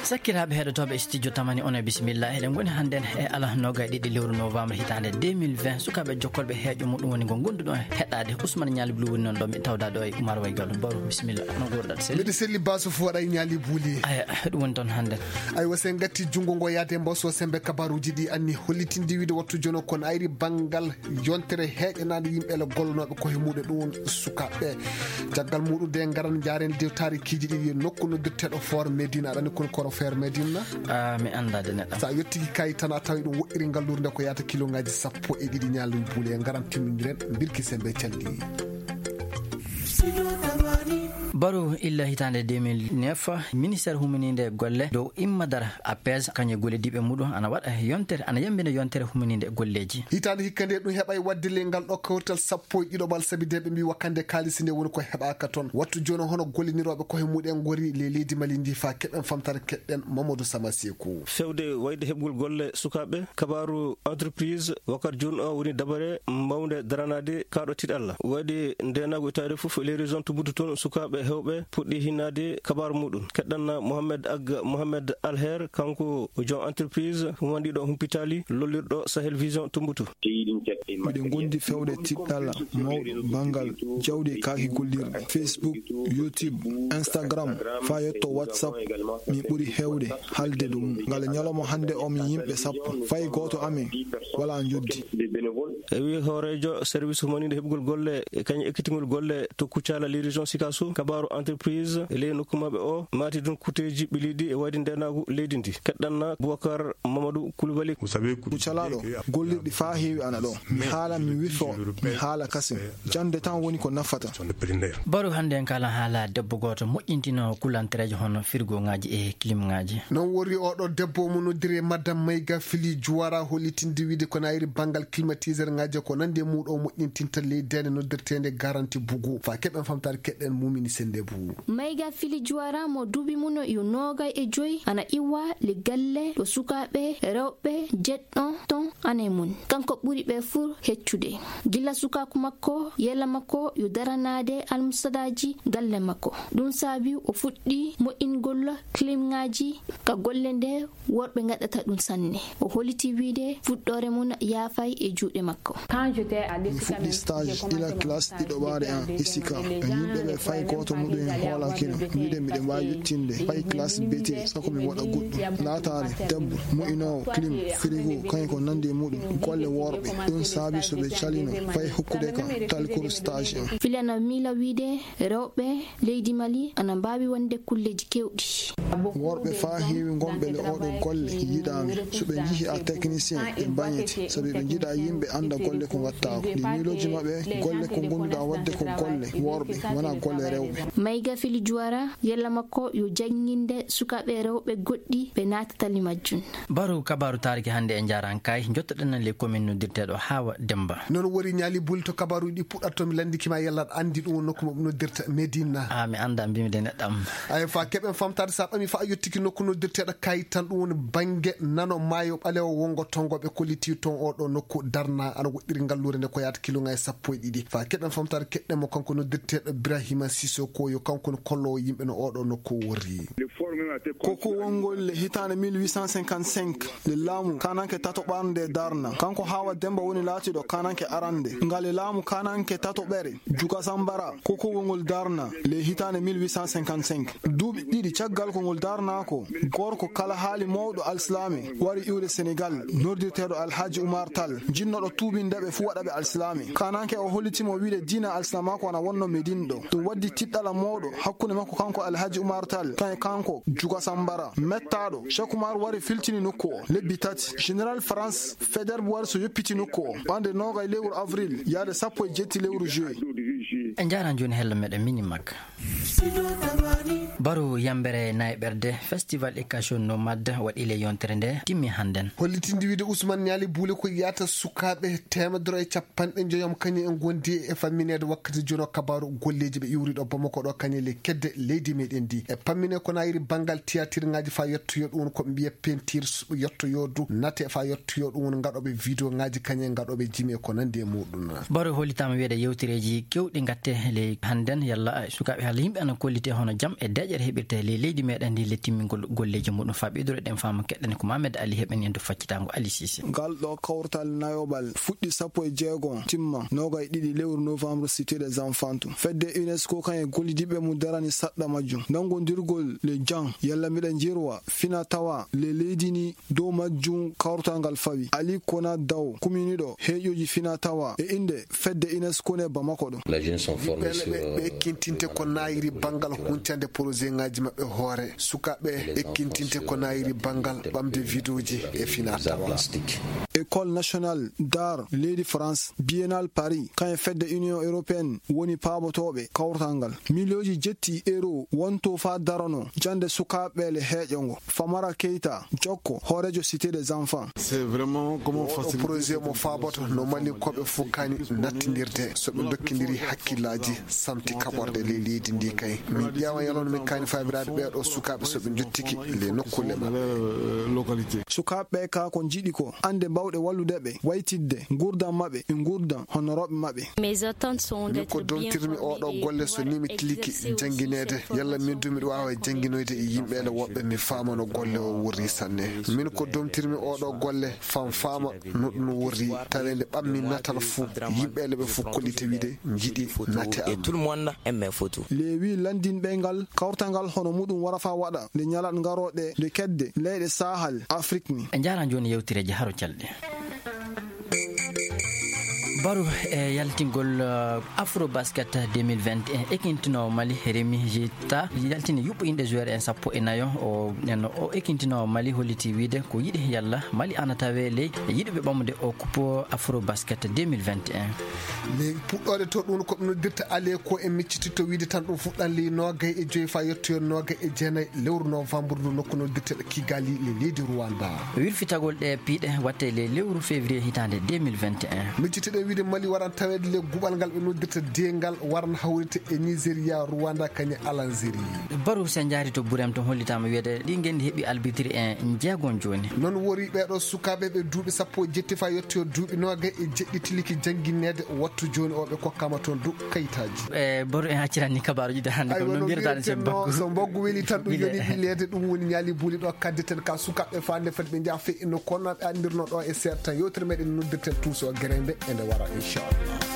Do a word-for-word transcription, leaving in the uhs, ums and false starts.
Sakkiraaɓe heɗotooɓe studio Tamani, on e bisimilla. Eɗen ngoni hannden e ala noogay ɗiɗi lewru novembre hitaande deux mille vingt. Sukaaɓe jokkolɓe heeƴo muɗum woni ngo ngonduɗon heɗaade. Ousmane Ñaali Bulu woni noon ɗo mi tawda ɗo e Oumar Waygal. Baro, bisimilla. No nguurɗat selli? Mbiɗa selli, Basu, fof waɗa e Ñaali Buli. Aya, ɗum woni toon hannden. Aywa, sen gatti junngo ngo yaade mbaso sembe kabaruuji ɗi anni hollitinde wiide wattu jono kon ayri banngal yontere heeƴanaande yimɓe ele gollonooɓe ko he muuɗe ɗum sukaaɓe. Caggal muuɗum de ngaran njaaren de taarikiiji ɗiɗi e nokku noddirteeɗo Foor Medina, aɗa anndi kon koro Foor Medina? Ah, mi anndaa de neɗɗo. So a yottiki kayi tan a tawi ɗum woɗɗiri ngallurde ko yaata kilongaaji sappo e ɗiɗi Ñaali Buli e ngaran timmindiren mbirki sembe calɗi. Baro illa hitaande deux mille neuf, ministère humininde golle dow immadara A P S, kañum e gollidiiɓe muɗum ana waɗa yontere, ana yambina yontere humininde golleeji. Hitaande hikka nde ɗum heɓay waɗde le ngal ɗo kawrital sappo e ɗiɗo ɓal sabi de ɓe mbi wakkande kaalisi nde woni ko heɓaaka toon. Wattu jooni hono gollinirooɓe ko he muɗen ngori le leydi Mali ndi fa keɓen famtare keɗɗen Mamadou Sama Seku. Fewde wayde heɓgol golle sukaaɓe, kabaaru entreprise wakkati jooni o woni dabare mawnde daranaade kaaɗo tiiɗalla. Waɗi ndeenaagu e taarifu fof, les régions Tombouctou toon sukaaɓe heewɓe puɗɗi hinnaade kabaaru muɗum. Keɗɗanna Mohamed Ag Mohamed Alher, kanko joom entreprise humandiɗo humpitali lollirɗo Sahel Vision Tombouctou. Miɗen ngondi fewde tiiɗalla mawɗo banngal jawdi e kaaki gollirɗi, Facebook, YouTube, Instagram, faa yetto WhatsApp. Min ɓuri heewde haalde dow mum. Ngal ñalawma hannde o min yimɓe sappo. Fay gooto amen walaa njoddi. E wii hooreejo service humaniiɗo heɓgol golle e kañum ekkitingol golle to Kucala, les régions Sikasso, kabaaru entreprise e ley nokku maɓɓe o maati ɗum kuteeji ɓiliiɗi e wayde ndeenaagu leydi ndi. Keɗɗanna Boubacar Mamadou Coulibaly. Kucalaaɗo gollirɗi faa heewi ana ɗo. Mi haala, mi wifo, mi haala kasin. Jannde tan woni ko nafata. Baro, hannde en kaalan haala debbo gooto moƴƴintinoowo kulantereeje hono firgooŋaaji e kiliŋaaji. Noon woni oɗo debbo mo noddiri Madame Mayga Fili Juwara, hollitinde wiide ko nayri banngal climatiseur ŋaaji ko nandi e muuɗo moƴƴintinta ley deende noddirteende garanti bugu. Faa keɓen famtaare keɗɗen Mumini Sennde Buu. Mayga Fili Juwara mo duuɓi mum yo noogay e joy ana iwa le galle ɗo sukaaɓe rewɓe jeɗɗo ton ane mum. Kanko ɓuri ɓe fuu heccude. Gila sukaaku makko, yella makko yo daranaade almusadaaji galle makko. Ɗum saabi o fuɗɗi moƴƴingol kiliŋaaji ka golle nde worɓe ngaɗata ɗum sanne. O holliti wiide fuɗɗoore mum yaafay e juuɗe makko. Mi fuɗɗi stage ila classe ɗiɗoɓaare an isika. E yimɓe ɓe fay gooto muɗum en hoolakino wiide miɗen mbaawi yettinde fay classe B T, sako mi waɗa goɗɗum. Laataare debbo, mo'inoowo, clim, frigo, kañum ko nandi e muɗum. Golle worɓe, ɗum saabi so ɓe calino fay hokkude kam talkuru stage am. Filana miila wiide rewɓe leydi Mali ana mbaawi wonde kulleeji keewɗi. Worɓe faa heewi ngonɓe le oɗo golle yiɗaami. So ɓe njihii a technicien, ɓe mbañete, sabi ɓe njiɗa yimɓe annda golle ko ngattaako. Ɗi miilooji maɓɓe, golle ko ngonduɗa waɗde ko golle worɓe, wona golle rewɓe. Mayga Fili Juwara, yella makko yo jannginde sukaaɓe rewɓe goɗɗi ɓe naatatali majjum. Baro, kabaaru taariki hannde e njaran kay, njottoɗen le commune noddirteeɗo Hawa Demba. Noon woni Ñaali Buli to kabaaruuji ɗi puɗɗat to mi lanndiki ma yalla aɗa anndi ɗum woni nokku mo ɓe noddirta Medina. Ah, mi annda, mbimi de neɗɗam. Ay, fa keɓen famtaade sa ɓami fa a yottiki nokku noddirteeɗo kayit tan ɗum woni bannge nano maayo ɓalewo wongo tongo ɓe kolliti toon oɗo nokku darna ana woɗɗiri ngalluure nde ko yaata kiloŋaaji sappo e ɗiɗi. Fa keɓen famtaade keɗɗen mo kanko noddirteeɗo Ibrahima Sissoko yo kanko no kollowo yimɓe no oɗo nokku worri. Ko ko wongol le hitaande mille huit cent cinquante-cinq, le laamu kananke tato ɓarnde darna. Kanko Hawa Demba woni laatiɗo kananke arande. Ngale laamu kananke tato ɓere, Juga Sambara, ko ko wongol darna le hitaande mille huit cent cinquante-cinq. Duuɓi ɗiɗi caggal ko ngol darna ko, gorko kala haali mawɗo alsilaame wari iwde Senegal, nordirteeɗo Alhaji Umar Tall, jinnoɗo tuubinde ɓe fuu waɗa ɓe alsilaame. Kananke o hollitimo wiide diina alsilaamaaku ana wonno Medine ɗo. Ɗum waddi tiɗɗala mawɗo hakkunde makko kanko Alhaji Umar Tall, kan e kanko Juga Sambara. Mettaaɗo, Cheikh Umar wari filtini nokku o. Lebbi tati, Général France Faidherbe wari so yoppiti nokku o. Ɓande noogay lewru avril, yaade sappo e jetti lewru juillet. En njaran jooni hello meɗen mini makka. Baro yambere nayɓerde, festival éducation nomade waɗi le yontere nde timmi hannden. Hollitinde wiide Ousmane Ñaali Buule ko yiyata sukaaɓe teemedere e capanɗe njoyom kañum en gondi e fammineede wakkati jono kabaaru golleeji ɓe iwri ɗo Bamako ɗo kañum le kedde leydi meɗen ndi. E pammine ko nayiri banngal tiyatirŋaaji fa yettoyo ɗum woni ko ɓe mbiya peinture yettoyo du nate fa yettoyo ɗum woni ngaɗoɓe vidéo ŋaaji kañum ngaɗoɓe jimi e ko nandi e muɗum. Baro hollitama wiide yewtereeji kewɗi gatte le hannden yalla sukaaɓe halla yimɓe no kollite hono jam e deƴƴere heɓirta e ley leydi meɗen ndi le timmingol golleeji muɗum. Faa ɓeydude ɗen faamu keɗɗen ko Mamed Ali heɓen en to faccitaango Ali Sisi. Ngal ɗo kawtal nayoɓal fuɗɗi sappo e jeego, timma noogay ɗiɗi lewru novembre, Cité des Enfants. Fedde UNESCO kan e gollidiɓe mum darani saɗɗa majjum. Nanngondirgol le jan, yalla miɗa jirwa fina tawa le leydi ni dow majjum kawtal ngal fawi. Ali Kona Daw, kuminiɗo heeƴoji fina tawa e innde fedde UNESCO ne Bamako ɗo. Yimɓe ɓe, ɓe ekkintinte ko naayiri banngal huncande projet ŋaaji maɓɓe hoore. Sukaaɓe ekkintinte ko naayiri banngal ɓamde vidéoji e fina tawa. École nationale d'art leydi France, Biennale Paris, kañum fedde Union européenne woni paabotooɓe kawtal ngal. Miliyooji jetti euro wonto faa darano jannde sukaaɓe le heeƴo ngo. Famara Keita, jokko, hooreejo Cité des Enfants. C'est vraiment comment... Oɗo projet mo faaboto no Malinkooɓe fof kaani nattindirde. So ɓe ndokkindiri hakkillaaji, santi kaɓorɗe ley leydi ndi kay. Min ƴeewa yalon min kaani faabiraaɓe ɓee ɗo sukaaɓe so ɓe njottiki le nokkuule maɓɓe. Sukaaɓe ɓe ka ko njiɗi ko annde mbawɗe wallude ɓe, waytidde nguurndam maɓɓe e nguurndam honorooɓe maɓɓe. Mes attentes sont... Min ko domtirmi oɗo golle so ni mi tiliki janngineede, yalla min du miɗo waawa jannginoyde e yimɓe le woɓɓe mi faama no golle o wurri sanne. Min ko domtirmi oɗo golle fam faama no ɗum wurri, taweende ɓammi natal fuu, yimɓe le ɓe fof kollite wiide njiɗi nate am. Tout le monde aime mes photos. Leewi lanndinɓe ngal kawtal ngal hono muɗum wara faa waɗa nde ñalaɗe ngarooɗe nde kedde leyɗe Sahel Afrik ni. En njaaraama jooni yewtereeji haro calɗi. Baro e yaltingol, uh, Afro Basket deux mille vingt et un, ekintinoowo Mali Rémi Jita yaltini yuɓɓo inɗe joueur en sappo e nayo. O, en, o ekintinoowo Mali holliti wiide ko yiɗi yalla Mali ana tawe ley yiɗuɓe ɓamude o coupe Afro Basket deux mille vingt et un. Ley puɗɗoode to ɗum ko ɓe noddirta ale ko en miccititto wiide tan ɗum fuɗɗan ley noogay e joyi faa yettoyo noogay e jeenay lewru novembre ndu nokku noddirteɗo Kigali le leydi Rwanda. Wirfitagol ɗe piiɗe watte le lewru février hitaande deux mille vingt et un. Miccitiɗen wiide Mali waran taweede le guɓal ngal ɓe noddirta dengal waran hawrite e Nigeria, Rwanda, kañum Algérie. Baro se njaari to Burem to hollitaama wiide ɗi ngenndi heɓi arbitre en jeegon jooni. Noon wori ɓeeɗo sukaaɓe ɓe duuɓi sappo e jetti faa yettoyo duuɓi noogay e jeɗɗi tiliki janngineede wattu jooni o ɓe kokkaama toon du kayitaaji. E Baro en accirani kabaaruji de hannde kam no mbiyata sen mbaggu. So mbaggu weli tan ɗum yoni wileede ɗum woni ñaali buuli ɗo kadde ten ka sukaaɓe faande fadi ɓe njaha fe no kono ɓe anndirno ɗo e seeɗa tan yewtere meɗen noddirten tuuso gerembe ene wara inchallah.